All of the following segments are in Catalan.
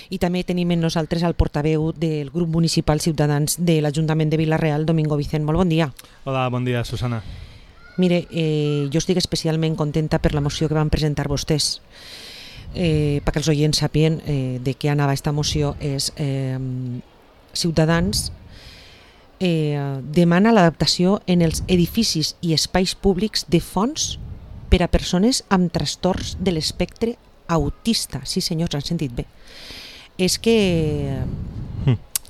I també tenim amb nosaltres el portaveu del grup municipal Ciutadans de l'Ajuntament de Vila-real, Domingo Vicent. Molt bon dia. Hola, bon dia, Susana. Mire, jo estic especialment contenta per la moció que van presentar vostès. Perquè els oients sapien de què anava aquesta moció. És Ciutadans demana l'adaptació en els edificis i espais públics de fons per a persones amb trastorns de l'espectre autista. Sí, senyors, han sentit bé. És que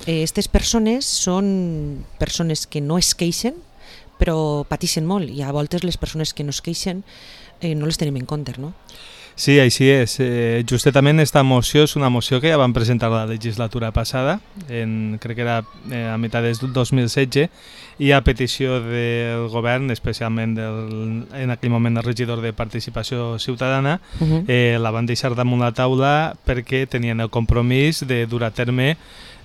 aquestes persones són persones que no es queixen, però pateixen molt, i a voltes les persones que no es queixen no les tenim en compte, no? Sí, així és. Justament aquesta moció és una moció que ja vam presentar la legislatura passada, crec que era a meitat del 2016, i a petició del govern, especialment en aquell moment el regidor de Participació Ciutadana, la van deixar damunt la taula perquè tenien el compromís de dur a terme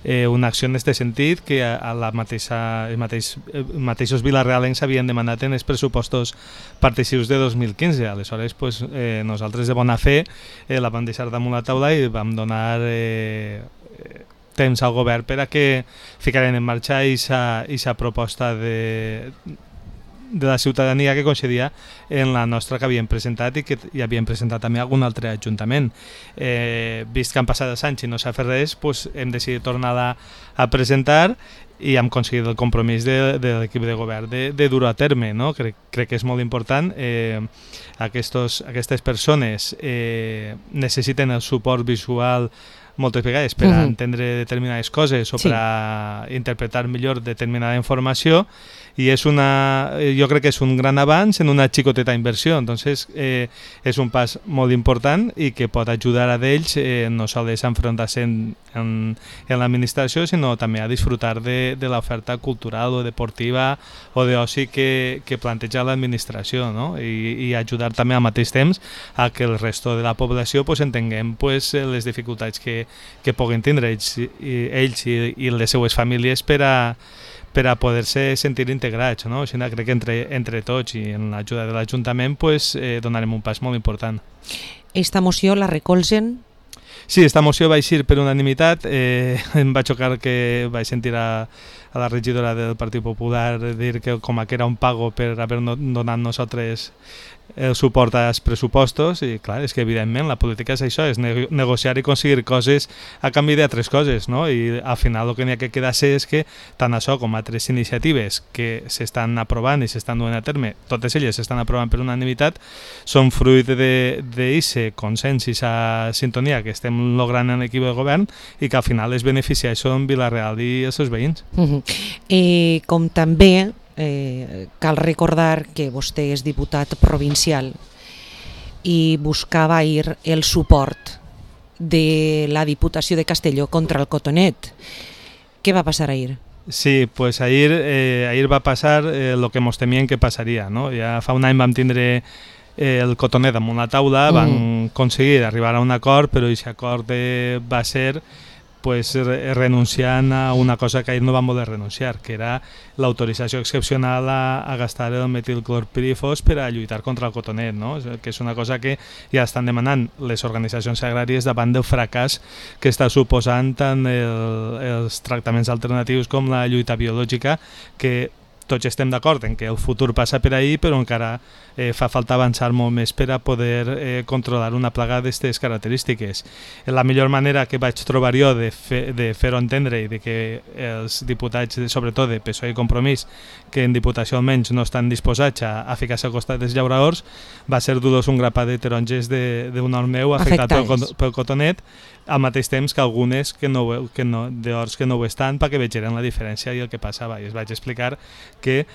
una acció en aquest sentit que els mateixos vilarealencs havien demanat en els pressupostos particips de 2015. Aleshores, nosaltres de bona fe la vam deixar damunt la taula i vam donar temps al govern per a que ficaren en marxa aquesta proposta de la ciutadania que concedia en la nostra que havíem presentat i que hi havíem presentat també algun altre ajuntament. Vist que han passat els anys i no s'ha fet res, hem decidit tornar-la a presentar i hem aconseguit el compromís de l'equip de govern de dur a terme, no? Crec que és molt important. Aquestes persones necessiten el suport visual moltes vegades per a entendre determinades coses o per a interpretar millor determinada informació, i jo crec que és un gran avanç en una xicoteta inversió. Entonces és un pas molt important i que pot ajudar a ells no sols a enfrontar-se en l'administració, sinó també a disfrutar de l'oferta cultural o deportiva o d'oci que planteja l'administració, no? I ajudar també al mateix temps a que el resto de la població entenguem les dificultats que puguin tindre ells i les seues famílies per a poder-se sentir integrats, no? Així crec que entre tots i en l'ajuda de l'Ajuntament donarem un pas molt important. Esta moció la recolzen? Sí, esta moció va eixir per unanimitat. Em va xocar que vaig sentir a la regidora del Partit Popular dir que com que era un pago per haver donat nosaltres el suport als pressupostos, i clar, és que evidentment la política és això, és negociar i aconseguir coses a canvi d'altres coses, no? I al final el que n'hi ha que quedar-se és que tant això com altres iniciatives que s'estan aprovant i s'estan duent a terme, totes elles s'estan aprovant per unanimitat, són fruit d'aquest consens i aquesta sintonia que estem logrant en l'equip de govern i que al final es beneficia això en Vila-real i els seus veïns. Com també cal recordar que vostè és diputat provincial i buscava ahir el suport de la Diputació de Castelló contra el cotonet. Què va passar ahir? Sí, pues ahir va passar el que ens temien que passaria, no? Ja fa un any vam tindre el cotonet damunt la taula, van aconseguir arribar a un acord, però aquest acord va ser renunciant a una cosa que ahir no vam voler renunciar, que era l'autorització excepcional a gastar el metilclorpirifos per a lluitar contra el cotonet, no? Que és una cosa que ja estan demanant les organitzacions agràries davant del fracàs que està suposant tant els tractaments alternatius com la lluita biològica, que tots estem d'acord en que el futur passa per ahir, però encara fa falta avançar molt més per a poder controlar una plaga d'aquestes característiques. La millor manera que vaig trobar jo de fer-ho entendre i de que els diputats, sobretot de PSOE i Compromís, que en Diputació almenys no estan disposats a ficar-se al costat dels llauradors, va ser dur-los un grapat de taronges d'un hort meu afectat pel cotonet, al mateix temps que algunes d'horts que no ho estan, perquè vegeren la diferència i el que passava. I es vaig explicar que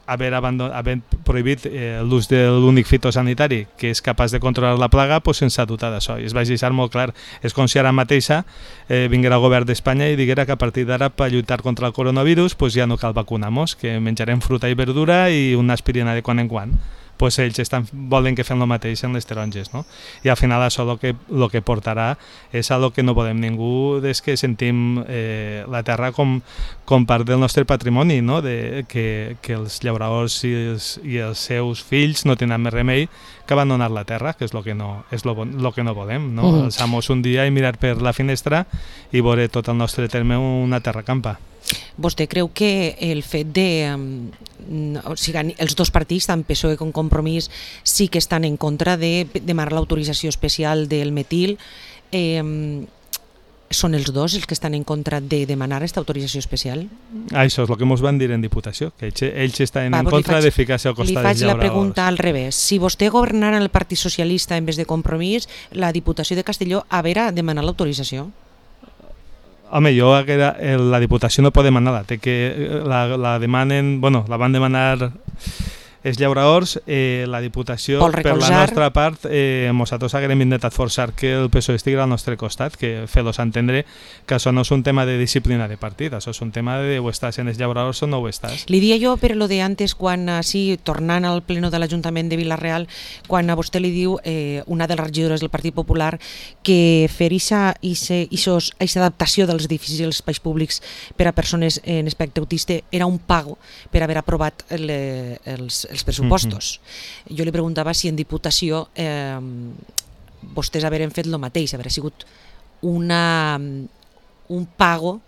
haver prohibit l'ús de l'únic fitosanitari que és capaç de controlar la plaga, sense dotar d'això. I es vaig deixar molt clar. És com si ara mateixa vinguera el govern d'Espanya i diguera que a partir d'ara, per lluitar contra el coronavirus, ja no cal vacunar-nos, que menjarem fruita i verdura i una aspirina de quan en quan. pues ells volen que fem el mateix en les taronges, no? I al final això el que portarà és a lo que no volem ningú, és que sentim la terra com part del nostre patrimoni, no? Que els llauradors i els seus fills no tenen més remei que abandonar la terra, que és el que no volem, no? Alçar-nos un dia i mirar per la finestra i veure tot el nostre terme una terra campa. Vostè creu que el fet de... o sigui, els dos partits, tant PSOE com Compromís, sí que estan en contra de demanar l'autorització especial del metil. Són els dos els que estan en contra de demanar aquesta autorització especial? Això és el que ens van dir en Diputació, que ells estan en contra de ficar-se al costat dels llauradors. Li faig la pregunta al revés. Si vostè governara el Partit Socialista en vez de Compromís, la Diputació de Castelló haurà de demanar l'autorització? Home, la Diputació no pot demanar-la, la demanen, la van demanar els llauradors, la Diputació, per la nostra part, nosaltres haguem intentat forçar que el PSOE estigui al nostre costat, que fer-los entendre que això no és un tema de disciplina de partit, això és un tema de o estàs en els llauradors o no ho estàs. Li dia jo per lo de antes, quan, sí, tornant al pleno de l'Ajuntament de Vila-real, quan a vostè li diu una de les regidores del Partit Popular que fer aquesta adaptació dels edificis i els espais públics per a persones en espectre autista era un pago per haver aprovat els pressupostos. Jo li preguntava si en Diputació vostès haurem fet el mateix, haurà sigut un pago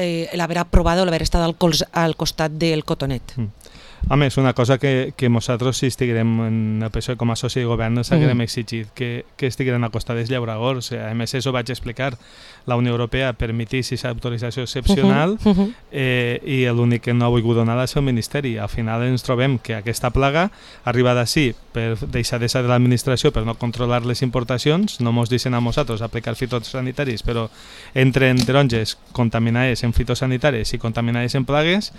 l'haver aprovat o l'haver estat al costat del cotonet. Home, és una cosa que nosaltres, si estiguem en el PSOE com a soci de govern, ens haguem exigit que estigueren al costat dels llauradors. A més, això ho vaig explicar. La Unió Europea permetís aquesta autorització excepcional i l'únic que no ha volgut donar és el Ministeri. Al final ens trobem que aquesta plaga arriba d'ací per deixadesa de l'administració, per no controlar les importacions, no ens deixen a nosaltres aplicar fitosanitaris, però entren taronges contaminades en fitosanitaris i contaminades en plagues.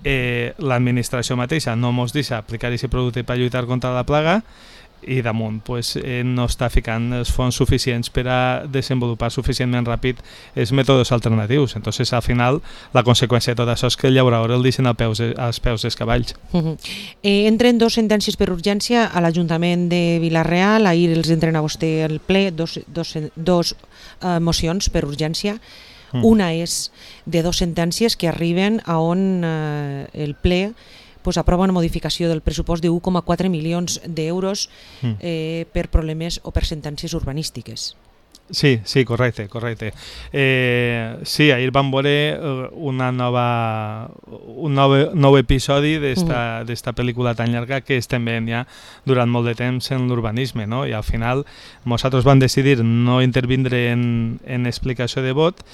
L'administració mateixa no ens deixa aplicar aquest producte per lluitar contra la plaga i damunt no està ficant els fons suficients per a desenvolupar suficientment ràpid els mètodes alternatius. Entonces, al final, la conseqüència de tot això és que el llaurador el deixen als peus dels cavalls. Entren dos sentències per urgència a l'Ajuntament de Vila-real, ahir els entren a vostè al ple, dos mocions per urgència. Una és de dos sentències que arriben a on el ple aprova una modificació del pressupost de 1,4 milions d'euros per problemes o per sentències urbanístiques. Sí, correcte. Sí, ahir vam veure un nou episodi d'esta pel·lícula tan llarga que estem veient ja durant molt de temps en l'urbanisme, no? I al final nosaltres vam decidir no intervindre en explicació de vot,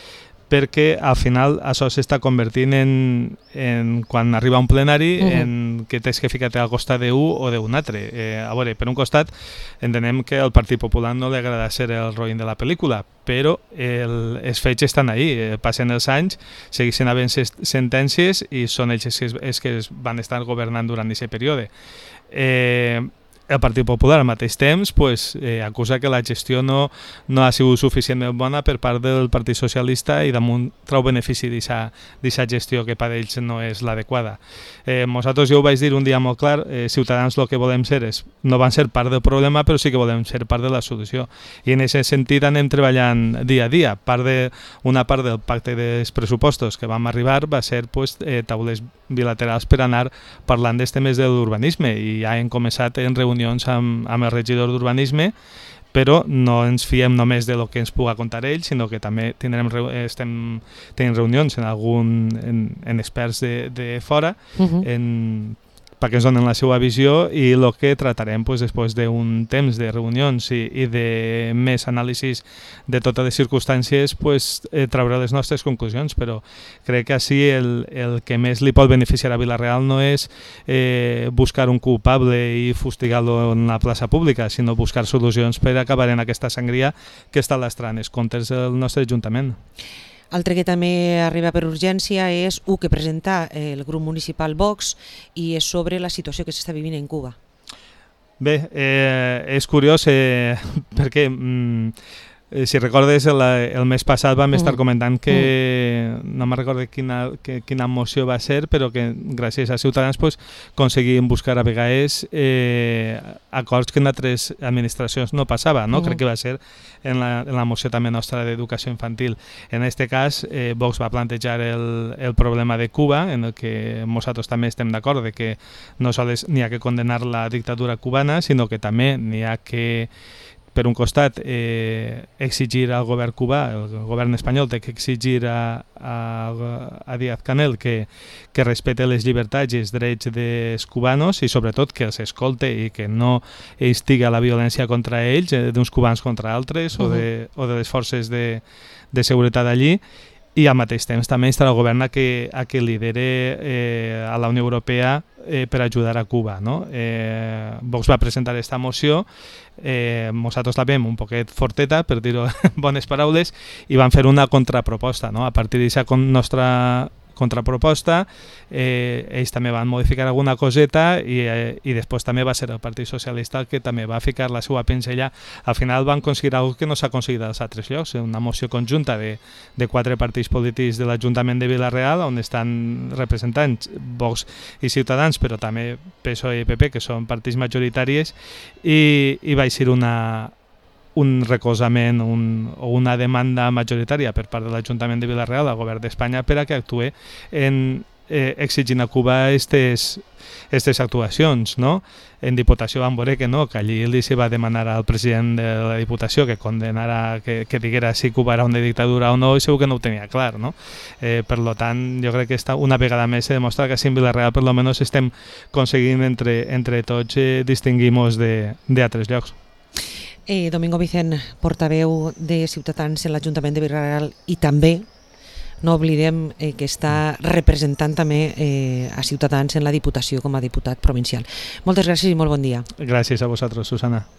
perquè al final això s'està convertint en quan arriba un plenari en que tens que ficar-te al costat d'un o d'un altre. A veure, per un costat entenem que al Partit Popular no li agrada ser el roïn de la pel·lícula, però els fets estan ahí, passen els anys, segueixen havent sentències i són ells els que van estar governant durant aquest període. El Partit Popular al mateix temps acusa que la gestió no ha sigut suficientment bona per part del Partit Socialista i damunt trau benefici d'aquesta gestió que per ells no és l'adequada. Nosaltres ja ho vaig dir un dia molt clar, Ciutadans el que volem ser no van ser part del problema, però sí que volem ser part de la solució. I en aquest sentit anem treballant dia a dia. Una part del pacte dels pressupostos que vam arribar va ser taules bilaterals per anar parlant dels temes de l'urbanisme i ja hem començat en reunions amb el regidor d'urbanisme, però no ens fiem només de lo que ens puga contar ell, sinó que també estem tenint reunions en experts de fora perquè ens donen la seva visió i el que tratarem després d'un temps de reunions i de més anàlisis de totes les circumstàncies trauré les nostres conclusions, però crec que així el que més li pot beneficiar a Vila-real no és buscar un culpable i fustigar-lo en la plaça pública, sinó buscar solucions per acabar en aquesta sangria que està lastrant els comptes del nostre Ajuntament. Altre que també arriba per urgència és que presenta el grup municipal Vox i és sobre la situació que s'està vivint en Cuba. Bé, és curiós perquè Si recordes, el mes passat vam estar comentant que no me'n recordo quina moció va ser, però que gràcies a Ciutadans aconseguim buscar a vegades acords que en altres administracions no passava, no? Crec que va ser en la moció també nostra d'educació infantil. En aquest cas, Vox va plantejar el problema de Cuba, en el que nosaltres també estem d'acord de que no sols n'hi ha que condenar la dictadura cubana, sinó que també n'hi ha que, per un costat, exigir al govern cubà, el govern espanyol té que exigir a Díaz-Canel que respecte les llibertats i els drets dels cubanos i sobretot que els escolte i que no instiga la violència contra ells, d'uns cubans contra altres o de les forces de seguretat allí. I al mateix temps també estarà el govern a que lidere a la Unió Europea per ajudar a Cuba, no? Vox va presentar aquesta moció, nosaltres la vam un poquet forteta, per dir-ho en bones paraules, i van fer una contraproposta, no? A partir d'aquesta nostra contraproposta, ells també van modificar alguna coseta i després també va ser el Partit Socialista el que també va ficar la seva pinzella. Al final van aconseguir alguna que no s'ha aconseguit als altres llocs, una moció conjunta de 4 partits polítics de l'Ajuntament de Vila-real, on estan representats Vox i Ciutadans, però també PSOE i PP, que són partits majoritaris, i va ser un recolzament o una demanda majoritària per part de l'Ajuntament de Vila-real al govern d'Espanya per a que actuï exigint a Cuba aquestes actuacions, no? En Diputació vam veure que no, que allí li se va demanar al president de la Diputació que condenara, que diguera si Cuba era una dictadura o no, i segur que no ho tenia clar, no? Per tant, jo crec que una vegada més se demostra que en Vila-real per almenys estem aconseguint entre tots distingir-nos d'altres llocs. Domingo Vicent, portaveu de Ciutadans en l'Ajuntament de Vila-real, i també no oblidem que està representant també a Ciutadans en la Diputació com a diputat provincial. Moltes gràcies i molt bon dia. Gràcies a vosaltres, Susana.